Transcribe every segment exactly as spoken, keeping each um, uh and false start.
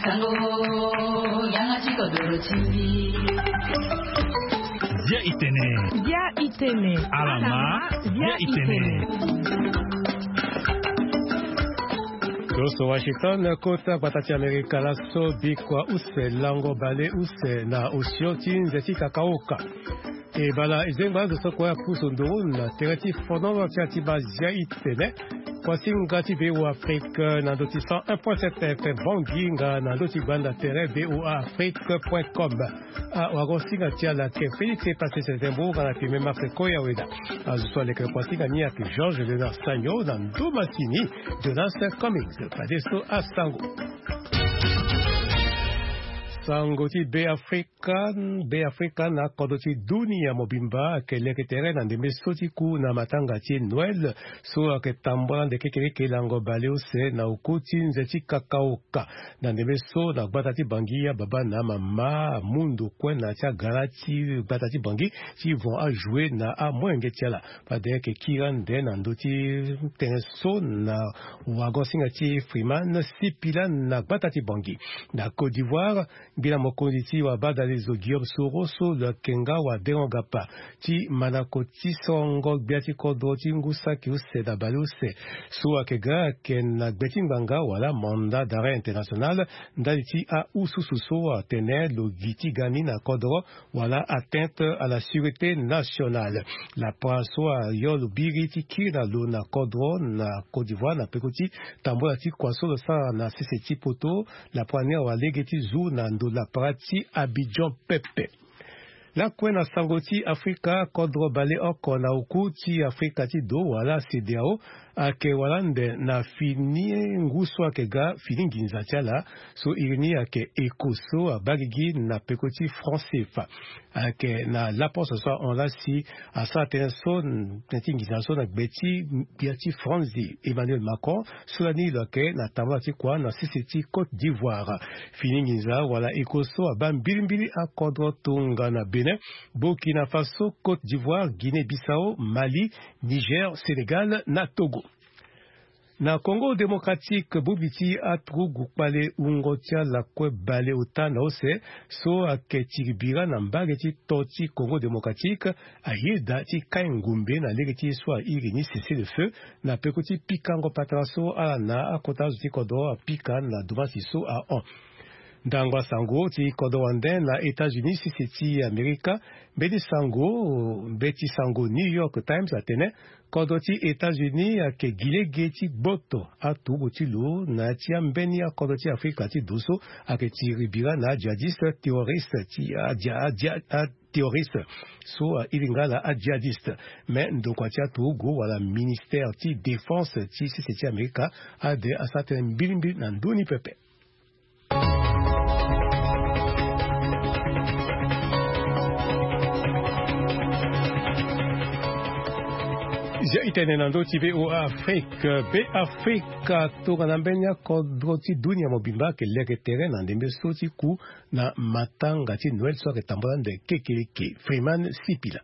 Sango, yanga ti kodoro ti mbi. Bia itene. Bia itene. Alama, bia itene. Toso Washington, kota gbata ti Amerika laso, bikua use, lango bale use na osio ti nze ti kakaoka. E bala e zengba azo so kue apusu nduru na tere ti fonono ti ati bazia itene. Kuasinga ti V O A Afrique na ndö ti cent un point sept F M Bangui nga na ndö ti gbanda tere V O A Afrique point com. Awagosinga ti ala ke Félix Epasese Zembo nga na pime Marc Koya Weda. Azo so aleke kuasinga ni ayeke Georges Léonard Sagno na ndö masini Jonas Cummings. Fadeso asango. Sango ti Be Afrika. Kan Be Afrika na kodro ti dunia mobimba ayeke leke tere na ndembe so ti ku na matanga ti Noël so ayeke tambula ande kekeleke lango baleuse na oku ti nze ti kakaoka. Na ndembe so na gbata ti Bangui ababa na amama amu ndo kue na ya ti agara ti gbata ti Bangui ti vent ajoue na amolenge ti ala. Fade ayeke kiri ande na ndö ti tënë so na wagosinga ti Freeman Sipila na gbata ti Bangui. Na Côte d'Ivoire, ngbila mokonzi ti wabadalezo Guillaume Soro so lo yeke nga wadengo gapa ti mandako ti songo gbia ti kodro ti ngu saki use na baleuse so ayeke ga ayeke na gbe ti ngbanga wala mandat d'arrêt international ndali ti ahususu so atene lo gi ti ga ni na kodro wala atteinte à la sûreté nationale. Lapara so ayo lo biri ti kiri na lo na kodro na Côte d'Ivoire na peko ti tambula ti kua so lo sara na sese ti poto. Lapara ni awa lege ti zu na ndo lapara ti Abidjan pepe. Lakue na sango ti Afrika, kodro baleoko na oku ti Afrika ti do wala CEDEAO ayeke wala ande na fini ngu so ayeke ga fini nginza ti ala so iri ni ayeke ECO so abaa gigi na peko ti franc CFA. Ayeke na laposte so ahon laa si asara tënë so tënë ti nginza so na gbe ti gbia ti France Emmanuel Macron so lani lo yeke na tambula ti kua na sese ti Côte d'Ivoire. Fini nginza wala ECO so abaa mbilimbili akodro tongana Bénin, Burkina Faso, Côte d'Ivoire, Guinée Bissau, Mali, Niger, Sénégal na Togo. Na Congo Démocratique, bongbi ti aturugu kpale wungo ti ala kue baleota na use so ayeke tiri bira na mbage ti to ti Congo Démocratique ayeda ti kai ngombe na lege ti ye so airi ni cessez-le-feu na peko ti pikango patara so ala na akota azo ti kodro apika na domasi so ahon. Ndango asango ti kodro wande na États-Unis sese ti Amerika, mbeti sango mbeti sango New York Times atene kodro ti États-Unis ayeke gi lege ti gboto aturugu ti lo na ya ti ambeni akodro ti Afrika ti do so ayeke tiri bira na ajihadiste terroriste ti adia adia terroriste so airi nga ala ajihadiste. Me ndokua ti aturugu wala ministère ti défense ti sese ti Amerika ade asara tënë mbilimbili na ndö ni pepe. Zia itene na ndö ti VOA Afrique, Be Afrika tongana mbeni akodro ti dunia mobimba ayeke leke tere na ndembe so ti ku na matanga ti Noël so ayeke tambula ande kekeleke. Freeman Sipila.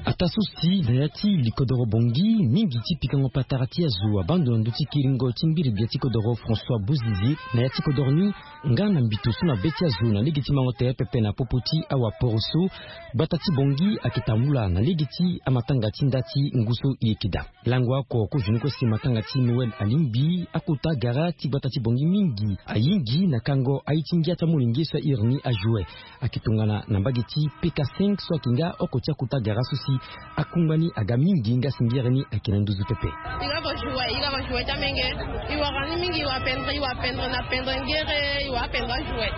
Ataa so si na ya ti likodoro Bangui, mingi ti pikango patara ti azo abaa ndo na ndö ti kiringo ti mbirimbia ti kodoro François Bozizé na ya ti kodoro ni nga na mbito so na be ti azo na lege ti mango tere pepe na popo ti awaporo so. Gbata ti Bangui ayeke tambula na lege ti amatanga ti nda ti ngu so e yeke daa. Lango oko kozoni kue si matanga ti Noël alingbi, akota gara ti gbata ti Bangui mingi ayingi na kango aye ti ngia ti amolenge so airi ni ajoue. Ayeke tongana na mbage ti P K cinq so ayeke nga oko ti akota gara so si akungba ni aga mingi nga si ngere ni ayeke na nduzu pepe. I ga ko joue, i ga ko joue ti amenge. I wara ni mingi, i wa pendre, i wa pendre na pendre ngere, i wa pendre ajoue.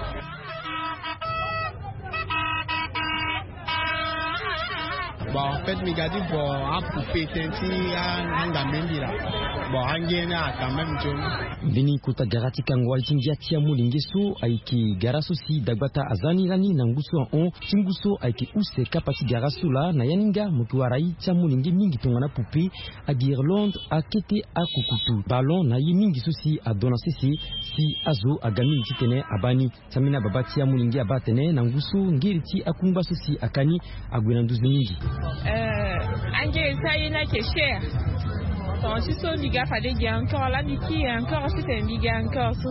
Bon, en fait, mi ga ti vo apoupée tënë ti a, angambe mbila. Bon, ange ni a quand même nzoni. Mbeni kota gara ti kango aye ti ngia ti amolenge so ayeke gara so si dagbata aza ni lani na ngu so ahon ti ngu so ayeke use kapa ti gara so laa na ya ni nga mo yeke wara ye ti amolenge mingi tongana poupée, aguirlande, akete, akukutu, ballon na ye mingi so si adon na sese si azo aga mingi titene abaa ni. Ti ambeni ababa ti amolenge abaa atene na ngu so ngeri ti akungba so si aka ni ague na nduzu mingi. Angere ti aye ni ayeke cher. Tonga ti so mbi ga fade gi encore laa mbi kiri encore titene mbi ga encore so.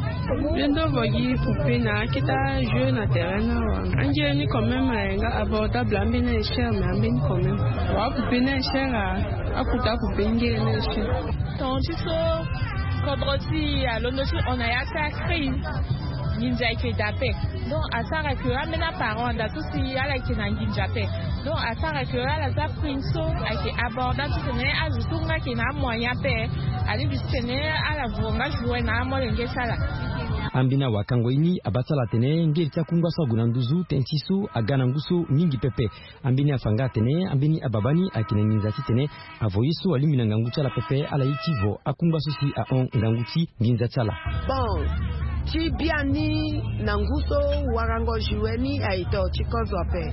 Mbi ndo vo gi poupée na akete ajeu na terrain ni awa. Angere ni quand même aye nga abordable, ambeni aye cher mais ambeni quand même. Wa apoupée ni aye cher. Akuta apoupée ngere ni aye cher. Tonga ti so kodro ti alondo ti on a ya ti acrise. Nginza ayeke daa ape. Donc asara ke ambeni aparent anda so si ala yeke na nginza ape. Donc asara ke ala za prime so ayeke aborda titene azo so nga ayeke na amoyen ape. Alingbi titene ala voro nga joue na amolenge ti ala. Ambeni awakango ye ni abaa ti ala atene ngeri ti akungba so ague na nduzu tënë ti so aga na ngu so mingi pepe. Ambeni afa nga atene ambeni ababa ni ayeke na nginza titene avo ye so alingbi na ngangu ti ala pepe ala ye ti vo akungba so si ahon ngangu ti nginza ti ala. Bon, ti biani na ngu so warango joue ni aye to ti kozo ape.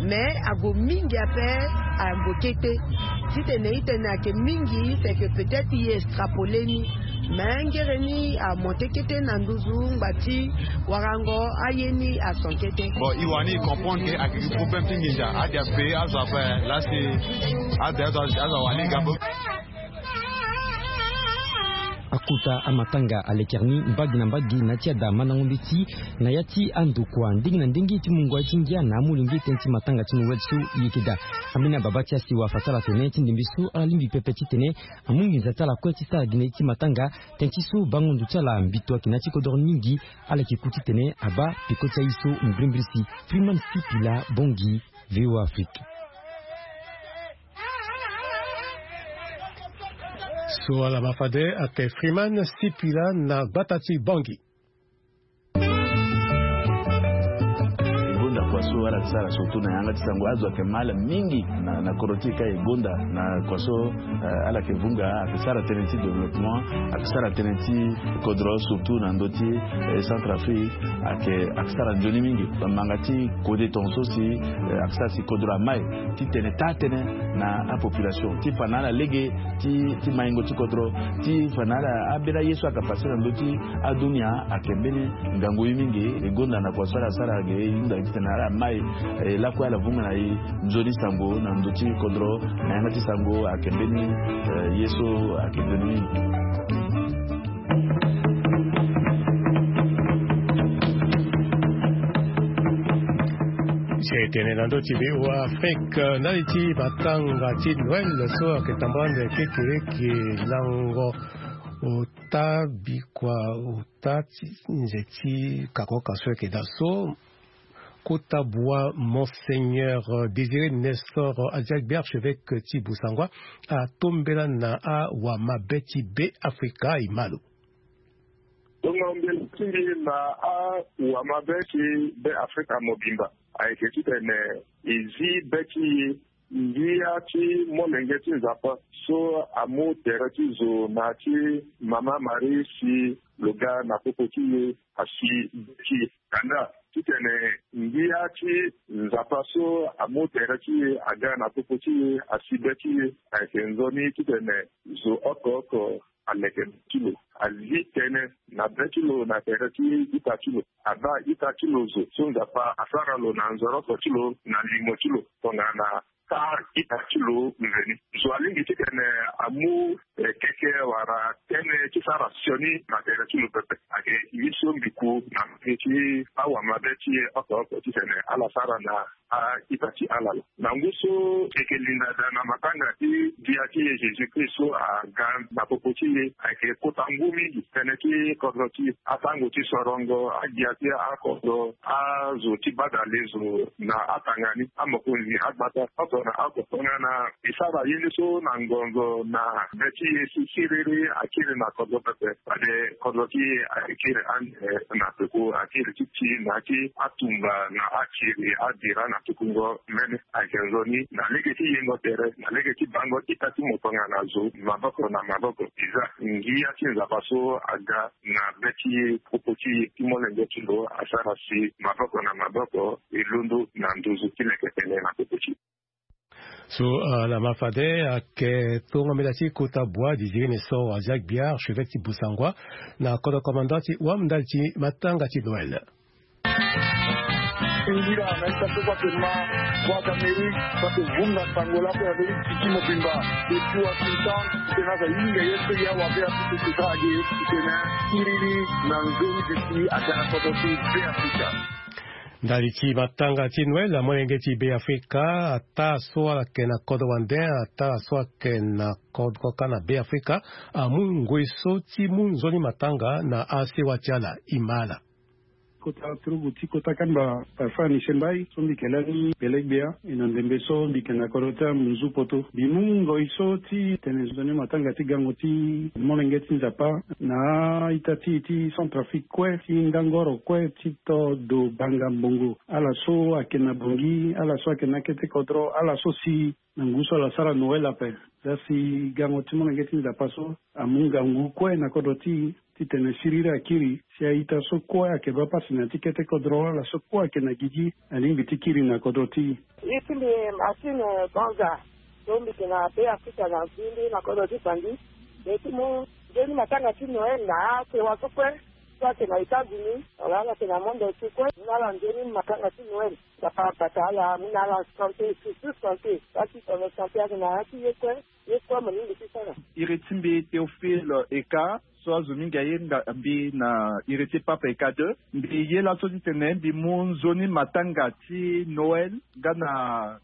Mais ague mingi ape, ague kete. Titene itene ayeke mingi c'est que peut-être ye extrapole ni. Mais ngere ni amonte kete na nduzu ngba ti warango aye ni ason kete. Bon, e wani e comprendre ke ayeke gi problème ti nginza ade ape azo ape. Lasi ade azo azo awani ga bo. Akota amatanga alekere ni mbage na mbage na ti ada mandango mbeti na ya ti andokua ndenge na ndenge ti mungo aye ti ngia na amolenge tënë ti matanga ti Noël so e yeke daa. Ambeni ababa ti asiwa afa ti ala atene ti ndembe so ala lingbi pepe titene amu nginza ti ala kue ti sara gi na ye ti matanga. Tënë ti so bango ndo ti ala mbito ayeke na ya ti kodoro ni mingi. Ala yeke ku titene abaa peko ti aye so mbrimbri si. Freeman Sipila Bongi, VOA Afrique. So ala ma fade ayeke Freeman Sipila na gbata ti Bongi. E gonda kua so ala yeke sara surtout na yanga ti sango azo ayeke ma ala mingi na kodro ti e ka e gonda na kua so ala yeke vunga ayeke sara tënë ti développement ayeke sara tënë ti kodro surtout na ndö ti Centrafrique. Ayeke ayeke sara nzoni mingi bamanga ti kode tonga so si ayeke sara si kodro amai ti tene taa tënë na apopulation ti fa na ala lege ti maingo ti kodro ti fa na ala ambeni aye so ayeke pase na ndö ti adunia. Ayeke mbeni ngangu ye mingi e gonda na kua so ala sara ge e hunda titene ala mai e lakue ala vunga na e nzoni sango na ndö ti kodro na yanga ti sango ayeke mbeni ye so ayeke nzoni mingi. Si e tene na ndö ti VOA Afrique ndali ti matanga ti Noël so ayeke tambula ande kekereke lango ota bikua ota ti nze ti kakoka so ayeke daa so. Kota bua Monseigneur Désiré Nestor Aziagbe archevêque ti Busangwa atombela na awamabe ti Be Afrika e ma lo. Tongo mbela ti mbi na awamabe ti Be Afrika mobimba ayeke titene e zi be ti e ngia ti molenge ti Nzapa so amu tere ti zo na ya ti Mama Marie si lo ga na popo ti e asi be ti e. Kanda titene ngia ti Nzapa so amu tere ti e aga na popo ti e asi be ti e ayeke nzoni titene zo oko oko aleke be ti lo, azi tënë na be ti lo na tere ti ita ti lo, abaa ita ti lo zo so Nzapa asara lo na nzoroko ti lo na limo ti lo tongana taa ita ti lo nzoni. Zo alingbi titene amu keke wala tënë ti sara sioni na tere ti lo pepe. Ayeke ye so mbi ku na mbage ti awamabe ti e oko oko titene ala sara na a-ita ti ala laa. Na ngu so e yeke linda daa na matanga ti Gbia ti e Jésus Christ so aga na popo ti e, ayeke kota ngu mingi tënë ti kodro ti e, atango ti sorongo, agbia ti akodro, azo ti badale zo na atanga ni, amokonzi agbata oko na oko. Tongana e sara ye ni so na ngonzo na be ti e si siriri akiri na kodro pepe, fade kodro ti e ayeke kiri ande na peko, akiri ti ti na ya ti atumba na akiri abira na tukungo mene. Ayeke nzoni na lege ti yengo tere, na lege ti bango ita ti mo tongana zo maboko na maboko. E za ngia ti Nzapa so aga na be ti e, popo ti e, ti molenge ti lo asara si maboko na maboko e londo na nduzu ti leke tene na popo ti e. So ala ma fade ayeke tongo mbela ti kota bua Désiré Nestor Azia Gbia, archevêque ti Busangwa, na kodro commandant ti wam ndali ti matanga ti Noël. Ngira na ita so kua tene ma kua ti Amerike kua tene vunga sango laa pe na be ti tiki mobimba. Be ti Washington titene aza hinga ye so ya wa be apusu ti sara ge titene kiriri na nzoni be ti aga na kodro ti Be Afrika. Ndali ti matanga ti Noël, amolenge ti Be Afrika, ataa so ala yeke na kodro wande, ataa so ala yeke na kodro kâ na Be Afrika, amu ngoi so ti mu nzoni matanga na asewa ti ala. Imala. Kota turugu ti kota kamba Parfait Anisembai so mbi yeke lani bele gbia e na ndembe so mbi yeke na kodro ti amunzu poto. Mbi mu ngoi so ti tene nzoni matanga ti gango ti molenge ti Nzapa na a-ita ti e ti Centrafrique kue, ti ndangoro kue ti to do banga mbongo. Ala so ayeke na Bangui, ala so ayeke na akete kodro, ala so si na ngu so ala sara Noël ape. Za si gango ti molenge ti Nzapa so amu ngangu kue na kodro ti e titene siriri akiri, si a-ita so kue ayeke baa pasi na ya ti kete kodro, ala so kue ayeke na gigi, alingbi ti kiri na kodro ti e. Ye ti mbi Martine Banza, so mbi yeke na Be Afrika na Vili na kodro ti Bangui. Mbi ye ti mu nzoni matanga ti Noël na asewa so kue so ayeke na États-Unis wala ala yeke na monde entier kue. Mu na ala nzoni matanga ti Noël. Nzapa abata ala, mu na ala sante, surtout sante. Baa ti tene sante ayeke na ya ti ye kue, ye kue mo lingbi ti sara. Iri ti mbi Théophile Eka, so azo mingi aye nga mbi na iri ti Pape Eka deux. Mbi ye laso titene mbi mu nzoni matanga ti Noël nga na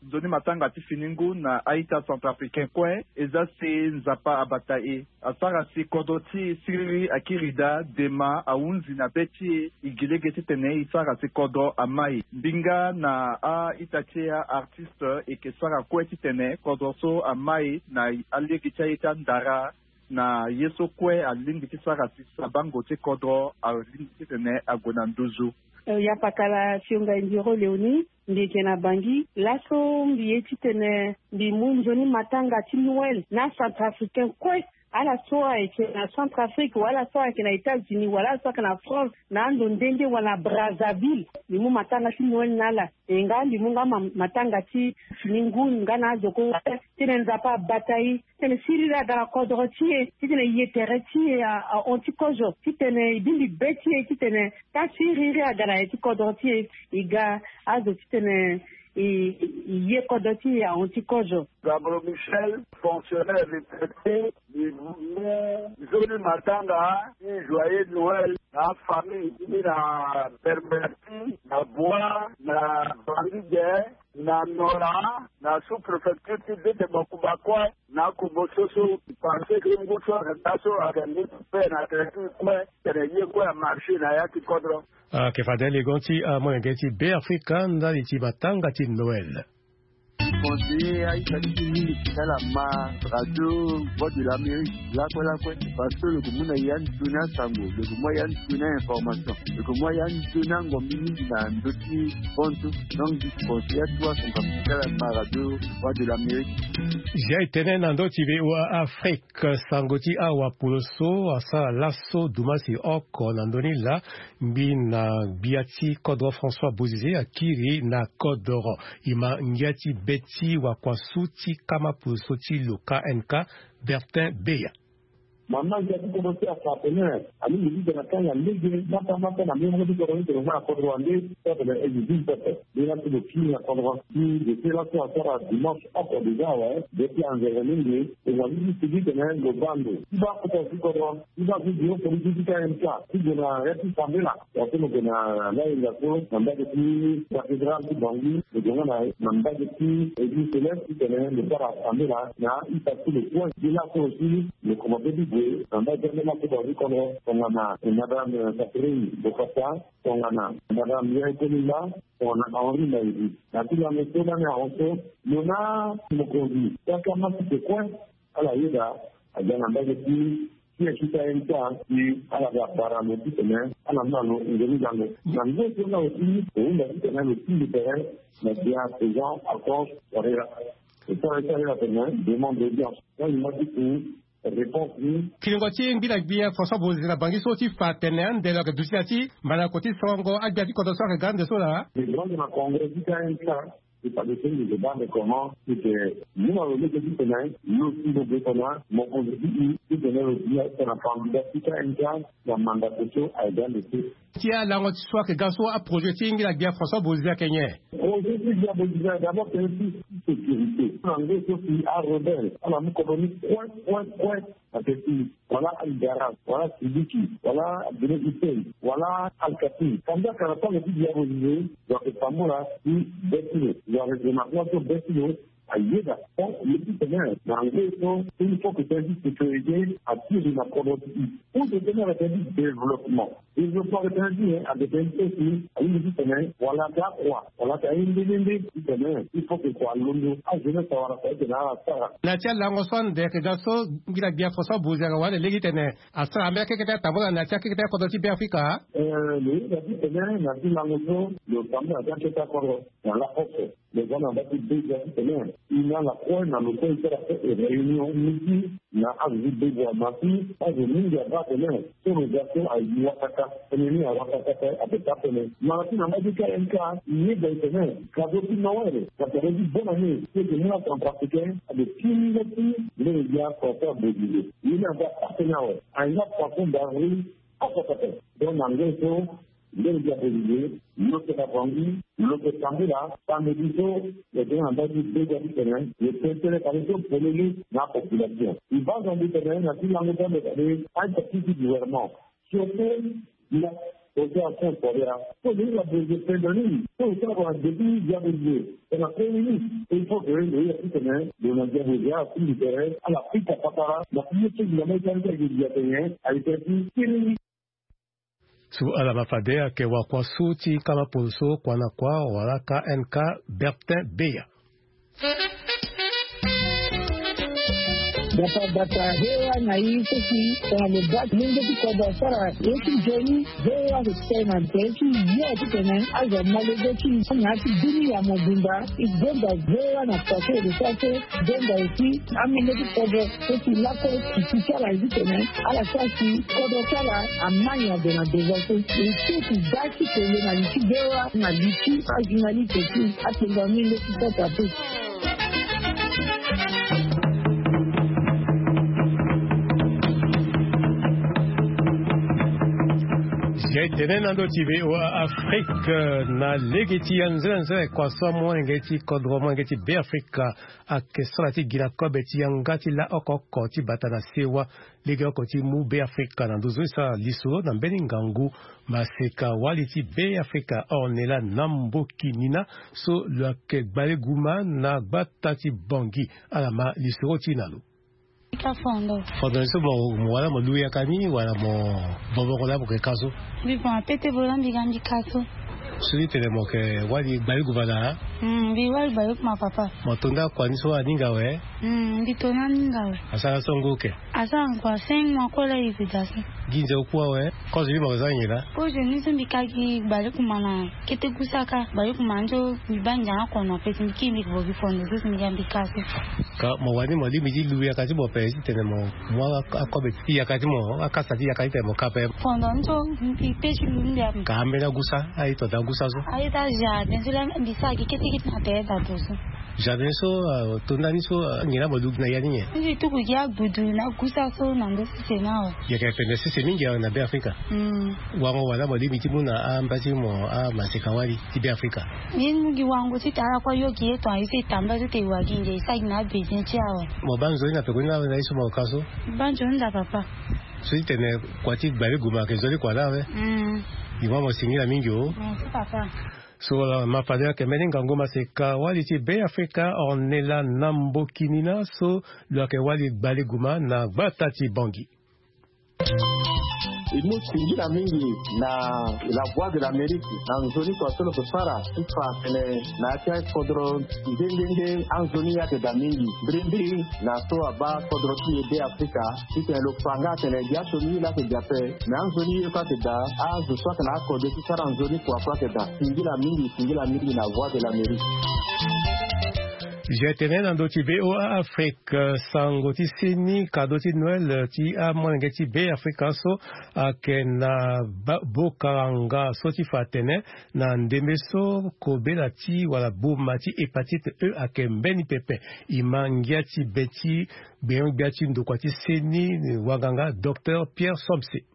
nzoni matanga ti fini ngu na a-ita centrafricain kue. E za si Nzapa abata e, asara si kodro ti e siriri akiri daa, dema ahunzi na be ti e, e gi lege titene e sara si kodro amai. Mbi nga na a-ita ti e, a-artiste, e yeke sara kue titene kodro so amai na alege ti aye ti andara. Na ye so kue alingbi ti sara si sabango ti kodro alingbi titene ague na nduzu. Eh, ya pakala Sionga Indiro Léonie, mbi yeke na Bangui. Laso mbi ye titene mbi mu nzoni matanga ti Noël na Centrafricain kue. Ala so ayeke na Centrafrique wala ala so ayeke na États-Unis wala ala so ayeke na France, na ando nde nde wala na Brazzaville, mbi mu matanga ti Noël na ala. E nga mbi mu nga ma-, matanga ti fini ngu nga na azo kue. Titene Nzapa abata e, titene siriri aga na kodro ti e, titene ye tere ti e a, ahon ti kozo, titene e bimbi be ti e, titene taa siriri aga na ye ti kodro ti e. E ga azo titene e, e ye kodro ti e ahon ti kozo. Gabro Michel, fonctionnaire retraité, mbi mu nzoni matanga ti joyeux Noël na afamille ti mbi na Berberti, na Bois, na Bangui, na Nola, na sous-préfecture ti Bete Bakuba kue, na akobo so so. Parce que ngu so ayeke daa so ayeke ngu ti paix na tere ti e kue, tene ye kue amarché na ya ti kodro. Ayeke fade legon ti amolenge ti Be Afrika ndali ti matanga ti Noël. Conseiller a-ita ti e mingi ti ala ma radio Voix de l'Amérique lakue lakue, parce que lo yeke mu na ya nzoni asango, lo yeke mu ya nzoni a-information, lo yeke mu ya nzoni angombi mingi na ndö ti bantu. Donc mbi conseiller atuwa son kapa ti ala ma radio Voix de l'Amérique. Zia e tene na ndö ti V O A Afrique, sango ti awa polo so asara laso dumasi oko na ndö ni laa, ngbi na gbia ti kodro François Bozizé akiri na kodro. E ma ngia ti be ti wakuasu ti kama polo so ti lo K N K, Bertin Beya. Mama ngia ti kodro ti Asapener alingbi ti tene akanga lege mata mata na mbeni moko ti kodro ni tene mo na kodro wande so atene exil pepe. Nde laso lo kiri na kodro ti dete laso asara dimanche oko déjà awe. Nde ti anzere mingi e wani ti sigi tene lo baa ndo ti baa kota ti kodro ti baa ti bureau politique ti K M K ti gue na ya ti sambela. Waso lo gue na layenga so na mbage ti cathédrale ti Bangui, lo gue nga na mbage ti église céleste titene lo sara sambela na ita ti lo kue. Nde laso aussi lo komanse ti gue na mbage ti ambeni akodro ti kodro tongana madame Catherine Bokassa, tongana madame Yaye Kolimba, tongana Henri Maïdi. Na ti lame so lani ahon so lo na mokonzi ti akama sese kue ala yeda aga na mbage ti K M K ti ala ga bara lo titene ala mu na lo nzoni gango. Na nzoni so na lo ti lo hunda titene lo ti libere na gbia Président Alphonse Touadéra. E sara e sara atene demande d'audience. Nga lo ma ti ku réponse ni. Kiringo ti ngbi na gbia François Bozizé na Bangui so ti fa atene ande lo yeke duti na ya ti mbanako ti sorongo agbia ti kodro so ayeke ga ande so laa. Lo yeke ga ande na congrès ti K M K. Ti fa de so mbi ke baa nde comment ti ke, mbi na lo lege titene lo si lo ge tena mokonzi ti e titene lo bi tena candidat ti K M K na mandat so aye ga nde so. Ti alango ti so ayeke ga so aprojet ti ngira gbia François Bozizé ayeke nyen? Projet ti gbia Bozizé d'abord tene ti sécurité na nge so si arebelle ala mu kodro ni kue kue kue. Ake ti wala Al Garab, wala Sidiki, wala Abdoulaye Hussein, wala Al Katim. Kanda kara tanga ti diabo ni, donc tambula ti be ti lo, wala remarquement so be ti lo ayeda. Bon, le ti tene na nge so il faut que tene ti sécurité atiri na kodro ti e. Pour que tene na tene ti développement. Développement ake tene ti e, ake tene ti e si alingbi ti tene wala ake akua wala ake aye nde nde nde ti tene il faut que kua alondo ajeunesse awara fa ete na ala sara. Na ti alango so ande ayeke ga so ngira gbia François Bozizé ayeke wara ande lege titene asara ambeni akekete atambula na ti akekete akodro ti Beafrika. Eh, lo yeda titene na ti lango so lo tambula na ti akekete akodro na laposo. Lo za na mbage ti bega titene e na ala kue na lo kue e sara kue e réunion miti na azo ti bega ma si azo mingi abaa tene so lo za so aye wakaka tënë ni awakaka kue ape taa tënë. Ma na ti na mbage ti K M K e yeda e tene cadeau ti Noël na cadeau ti bonne année ti e yeke mu na centrafricain ade ti mingi ti mbeni gbia François Bozizé. Ye ni aza taa tënë awe. Aye nga poisson d'avril oko pepe. Donc na nge so Ndeni gbia Bozizé, lo yeke na Bangui, lo yeke tambula samedi so lo yeke na ndali ti bega titene lo tene tënë kani so polele na apopulation. E baa Nzambi tene na ti lango ti ande kani aita ti ti gouvernement. Surtout na projet action Korea so lo yeke na Bozizé pendere ni so lo sara na nde ti gbia Bozizé tena premier ministre. Il faut que lo yeke titene lo na gbia Bozizé atingbi tere ala pika patara na ti ye so gbia ma e tara ti ayeke gbia tene aye tene ti kiri. So ala ma fade ayeke wakua so ti kama polo so kua na kua wala K N K Bertin Beya. Bata bata V O A na i so si tongana lo baa lenge ti kodro asara ye ti nzoni. V O A ayeke tene na tere ti yo titene azo ma lege ti i na ya ti bini ya mobimba. E gonda V O A na poto e lo sara so. Donda aussi amolenge ti kodro so si lakue ti ti ti ala ye ti tene ala sara si kodro ti ala ama nyen ade na deza so. E so ti da ti tene na li ti V O A na li ti ajournaliste ti atonga amolenge ti kota pe. Zia e tene na ndo ti V O A Afrique na lege ti anzere anzere kua so amolenge ti kodro amolenge ti Beafrika ayeke sara ti gi na kobe ti yanga ti la oko oko ti bata na sewa legeoko ti mu Beafrika na nduzu e sara lisoro na mbeni ngangu. Maseka wali ti Beafrika Ornella Nambokinina so lo yeke gbale guma na gbata ti Bangui. Ala ma lisoro ti e na lo. Ka fondo. Fondo ni so mo, mo wala mo lu yaka ni wala mo boboko laa mo yeke ka so? Mbi boma pete bo laa mbi ga mbi ka so. So ti tene mo yeke wali gbale guma na? Hmm, mbi wali gbale guma papa. Mo to nda kua ni so aninga awe? Hmm, mbi to ni aninga awe. Asara so ngu oke? Asara ngu a cinq mois kue laa e gue daa so. Gi nze oku awe? Kozo ni mo yeke za nyen laa? Kozo ni so mbi ka gi gbale guma na kete gusa ka. Gbale guma ni so mbi baa ngia na kono ape si mbi kiri mbi yeke bo gi fondo so si mbi ga mbi ka so. Ka mo wani mo lingbi ti lu yaka ti mo ape ti tene mo mu a, akobe ti yaka ti mo, akasa ti yaka ti tene mo ka ape? Fondo ni so mbi pe ti lu ni mbi ape. Ka ambeni agusa, aye to daa gusa so? Aye daa jardin so laa mbi sara gi kete kete na tere daa to so. Jardin so, ah, to ndani so, ah, nyen laa mo lu gi na ya ni nyen? Mbi tuku gi agbudu na gusa so na ndö sese ni awe. Yeke pendere sese mingi awe na Beafrika. Hmm. Wango wala mo lingbi ti mu na amba ti mo amaseka wali ti Beafrika? Mbi mu gi wango ti tene ala kue yo gi ye tongana ye so e tambula so tene e wa gi nde e sara gi na abezin ti e awe. Mo baa nzoni na peko ni laa awe na ye so mo ka so? Mbi baa nzoni daa papa. So ti tene kua ti gbale guma ayeke nzoni kua laa awe? Hmm. Gi mo mo singila mingi o. Merci papa. So wala ma fade ayeke mbeni ngangu maseka wali ti Beafrika Ornella Nambokinina so lo yeke wali gbale guma na gbata ti Bangui. E mu singila mingi na La Voix de l'Amérique na nzoni kua so lo yeke sara ti fa atene na ya ti akodro nde nde nde anzoni ye ayeke daa mingi. Mbirimbiri na so abaa kodro ti e Beafrika ti tene lo fa nga atene gi asioni ye laa ayeke daa ape. Me anzoni ye kue ayeke daa, azo so ayeke na akode ti sara nzoni kua kue ayeke daa. Singila mingi, singila mingi na Voix de l'Amérique. Je tene na ndö ti VOA Afrique, sango ti seni kado ti Noël ti amolenge ti Be Afrika so ayeke na bokaranga so ti fa atene na ndembe so kobela ti wala boma ti hépatite E ayeke mbeni pepe. E ma ngia ti be ti gbenyo-gbia ti ndokua ti seni wanganga docteur Pierre Somse.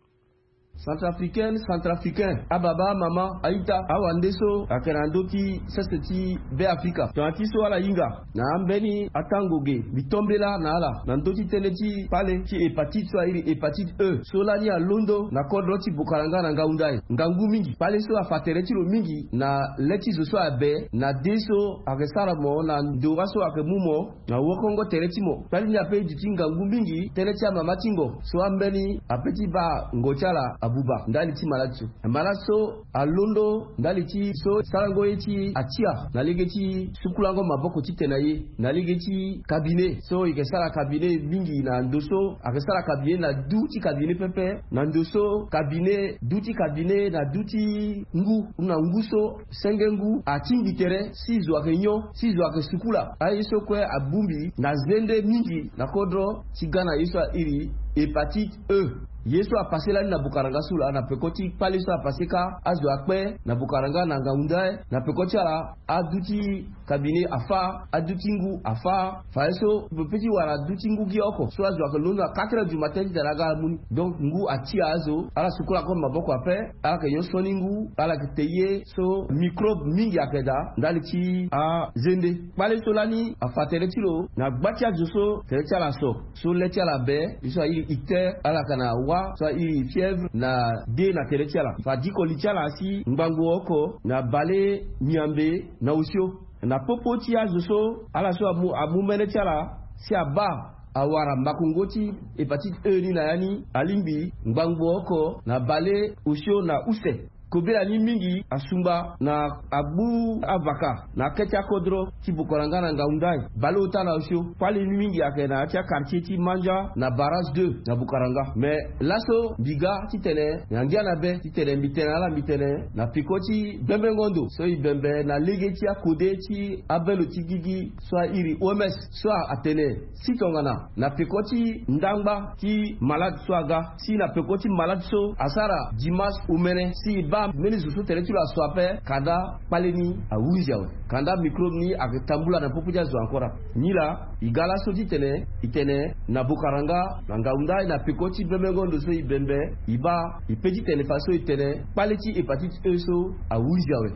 Centrafricaine, centrafricain, ababa, amama, a-ita, awande so ayeke na ndö ti sese ti Be Afrika, tongana ti so ala hinga na ambeni atango ge, mbi to mbela na ala na ndö ti tënë ti kpale ti hépatite so a iri hépatite E so lani alondo na kodro ti Bokaranga na Ngaoundai ngangu mingi. Kpale so afa tere ti lo mingi na le ti zo so abe na de so ayeke sara mo na ndora so ayeke mu mo na wokongo tere ti mo. Kpali ni ape e duti ngangu mingi tënë ti amama ti ngo so ambeni ape ti baa ngo ti ala abuba ndali ti malade so. Malade so alondo ndali ti so sarango ye ti atia na lege ti sukulango maboko titene aye na lege ti cabinet so e yeke sara cabinet mingi na ndo so ayeke sara cabinet na du ti cabinet pepe na ndo so cabinet du ti cabinet na du ti ngu na ngu so senge ngu atingbi tere si zo ayeke nyon si zo ayeke sukula. Aye so kue abongbi na zende mingi na kodro ti ga na ye so a iri hépatite E. Ye so apase lani na Bokaranga so laa na peko ti kpale so apase kâ azo akpe na Bokaranga na Ngaoundai na peko ti ala adu ti cabinet afa, adu ti ngu afa. Fadeso pepe ti wara adu ti ngu gi oko so azo ayeke londo na quatre heures du matin titene aga amu ni. Donc ngu atia azo ala sukula kue maboko ape. Ala yeke nyon soni ngu ala yeke te ye so microbe mingi ayeke daa ndali ti azende. Kpale so lani afa tere ti lo na gba ti azo so tere ti ala so so le ti ala be ye so a iri icter ala yeke na wa so a iri fièvre na de na tere ti ala. Fa diko li ti ala si ngbangbo oko na bale miambe na osio na popo ti azo so ala so amu amu mene ti ala si abaa awara makongo ti hépatite E ni na ya ni alingbi ngbangbo oko na bale osio na use. Kobela ni mingi asungba na agbu avaka na akete akodro ti Bokaranga na Ngaoundai bale ota na osio. Kpali ni mingi ayeke na ya ti akartier ti Mandja na barrage deux na Bokaranga. Mais laso mbi ga titene na ngia na be titene mbi tene na ala mbi tene na peko ti bembengo ndo so e bembe na lege ti akode ti abelo ti gigi so a iri O M S so atene si tongana na peko ti ndangba ti malade so aga si na peko ti malade so asara dimanche omene si e baa mbeni zo so tere ti lo aso ape kanda kpale ni ahuzi awe. Kanda microbe ni ayeke tambula na popo ti azo encore ape. Nilaa e ga laso titene e tene na Bokaranga na Ngaoundai na peko ti bembengo ndo so e bembe e baa e pe titene faso e tene kpale ti hépatite E so ahuzi awe.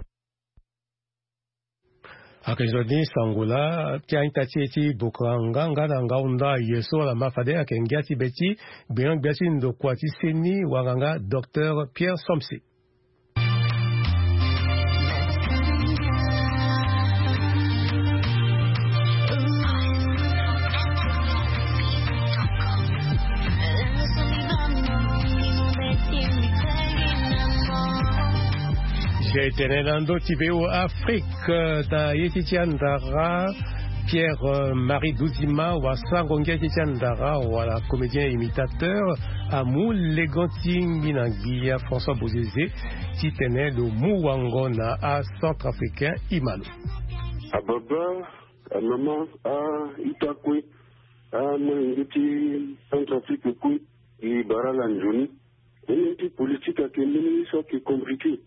Ayeke nzoni sango laa ti a-ita ti e ti Bokaranga nga na Ngaoundai ye so ala ma fade ayeke ngia ti be ti gbenyo-gbia ti ndokua ti seni wanganga docteur Pierre Somse. Je tene na ndö ti VOA Afrique na ye ti ti andara Pierre Marie Duzima wasango ngia ti ti andara wala comédien imitateur amu legon ti ngbina gbia François Bozeze titene lo mu wango na acentrafricain imalo. Ababa, amama, a-ita kue, amolenge ti Centrafrique kue, e bara ala nzoni. Tënë ti politique ayeke mbeni ye so ayeke compliqué.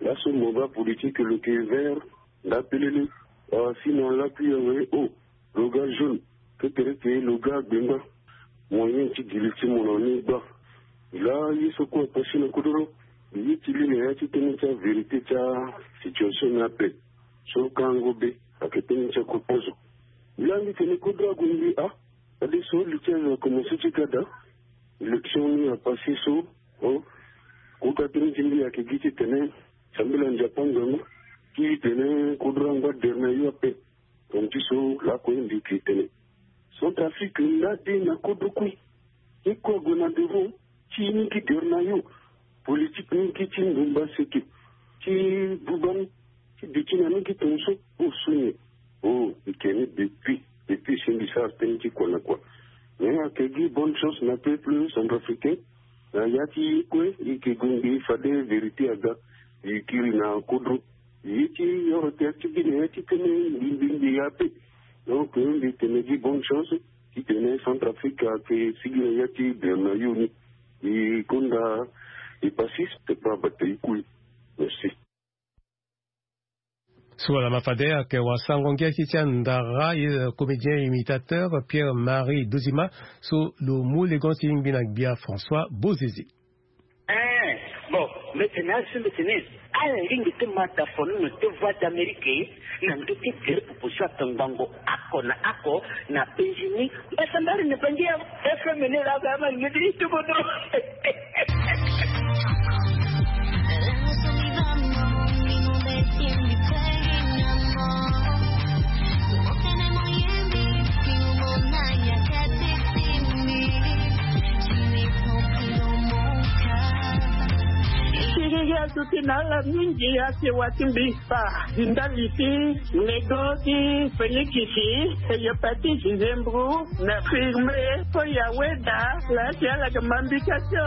Laso mo baa politique lo yeke vert nda pelele. Wala si na lakui awe o lo ga jaune. Kekereke lo ga gbenga. Moyen ti giri ti mo na ni gba. Laa ye so kue apasi na kodoro. Ye ti li na ya ti tënë ti avérité ti asituation ni ape. So kango be ayeke tënë ti akokozo. Laa mbi tene kodro ague mbi a. Fadeso li ti azo akomanse ti ga daa. Élection ni apase so o. Kota tënë ti mbi ayeke gi titene sambela nzapa ngangu ti tene kodro angba dere na yo ape. Tongana ti so lakue mbi yeke tene Centrafrique nda de na kodro kue. Ye kue ague na devant ti ni gi dere na yo. Politique ni gi ti ndumba seke ti buba ni ti duti na ni gi tongaso. O so nyen? O e yeke ni depuis depuis si mbi sara tënë ti kua na kua. Mais ayeke gi bonne chance na peuple centrafricain. Na ya ti kue e yeke gue ngbii fade vérité aga. E kiri na kodro. Ye ti oro tere ti gi na ya ti tënë ngbii ngbii ngbii ape. Donc mbi tene gi bonne chance. Titene Centrafrique ayeke sigi na ya ti bian na yo ni. E gonda e pasiste pa bata e kui. Merci. So wala ma fade ayeke wasango ngia ti ti andara ye comédien imitateur Pierre Marie Dozima. So lo mu legon ti ngbi na gbia François Bozeze. Eh, bon, mbete na asu mbete ni. Ala lingbi ti ma da fono na te Voix d'Amérique na ndö ti tere proposition atongbango ako na ako na Benjini. Mbasambari na bangi ya F M ni la ba ma ngedi ti bodo. Siriri azuti na ala mingi ake wa ti mbi. Fa ndali ti lego ti Félix, e yepati Gisembro na firme. Ko ya weda la ti ala ke mambika tio.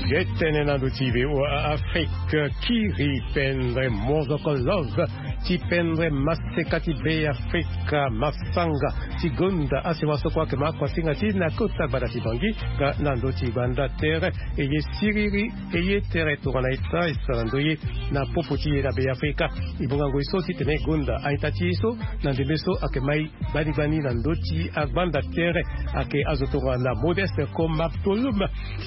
Ye tene na ndo ti V O A Afrique, kiri pendre mozoko love ti pendre maseka ti Be Afrika, masanga ti gonda asewa so kue ake ma akuasinga ti na kota gbanda ti Bangui. Nga na ndo ti gbanda tere e ye siriri e ye tere tongana eta e sara ndo ye na popo ti e na Be Afrika. E bonga ngoi so titene e gonda a-ita ti e so na ndembe so ake mai gbani gbani na ndö ti agbanda tere. Ake azo tongana Modeste Koma Tolum,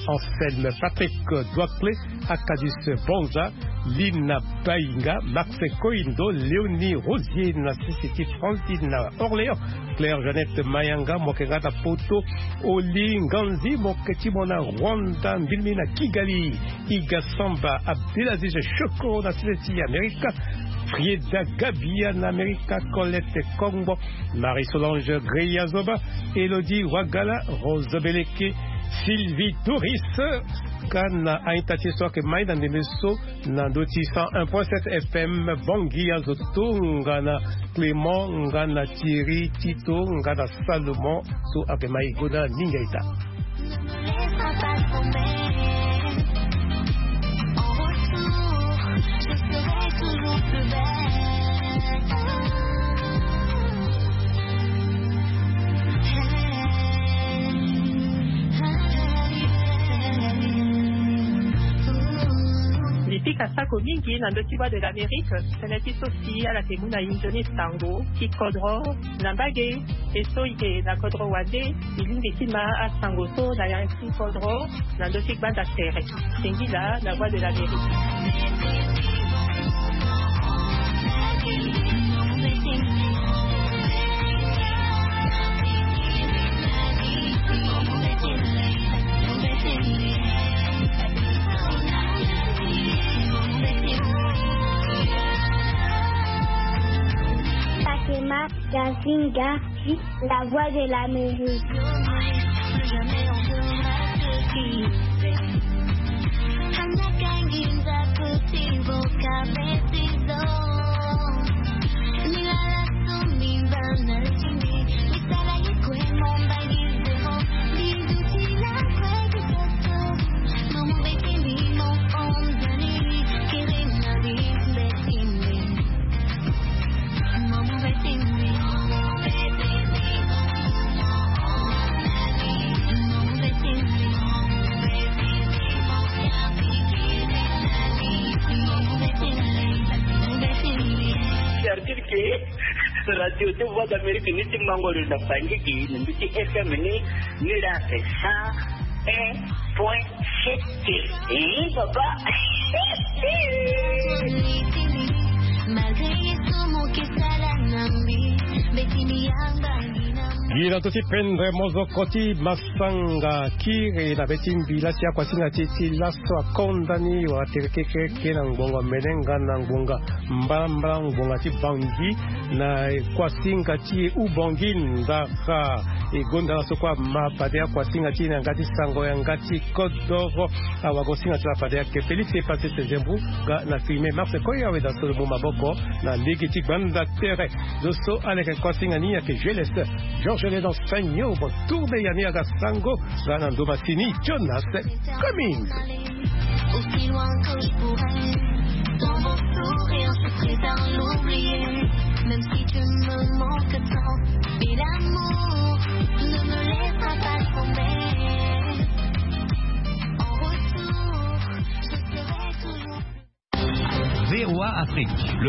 Anselme Patrick Doicle, Acadus Bonza, Lina Bainga, Max Koindo, Léonie Rosier na sisi ti Francine na Orléans, Claire Jeannette Mayanga, mo yeke nga na poto, Oli Nganzi, mo yeke ti mo na Rwanda, mbilimi na Kigali, Iga Samba, Abdelaziz Shoko na sisi ti Amerika, Frieda Gabia na Amerika, Colette Kongbo, Marie-Solange Greya Zoba, Elodie Wagala, Rose Beleke, Sylvie Doris, ka na a-ita ti e so ake mai na ndembe so na ndö ti cent un point sept F M Bangui, azo tongana Clément, nga na Thierry, Tito, nga na Salomon, so ake mai gonda mingi a-ita. Mbi pika sako mingi na ndö ti Voix de l'Amérique, tënë ti so si ala yeke mu na inzo ni sango ti kodro na mbage. E so e yeke na kodro wande, e lingbi ti ma asango so na ya ti kodro na ndö ti gbanda tere. Singila na Voix de l'Amérique. Fatima Gazinga, la Voix de l'Amérique. Certitude ke radio ti Voix d'Amérique ni ti mango lo na fangiki na mbi ti F M ni, ni la ake cent un point sept. Eh, papa. Malgré ye so mo ke sala na mbi, mbeti mbi yamba ni na Gi na to ti pendre mozoko ti masanga kiri na be ti mbila ti akuasinga ti e ti laso akonda ni wala tere kekereke na ngbonga melenga na ngbonga mbalambala ngbonga ti bangi na kuasinga ti e ubangi ndara. E gonda laso kue ama fade akuasinga ti e na yanga ti sango yanga ti kodoro. Awagosinga ti la fade ayeke Félix Epase Sezembru. Ga na filme Marse Koya weda so lo mu maboko na lege ti gbanda tere. Zo so aleke kuasinga ni ayeke Geles Georges Léon Sagno. Bon tourne ya ni aga sango. Ga na ndoma sini Jonas Coming. Aussi loin que je pourrais, dans vos sourires.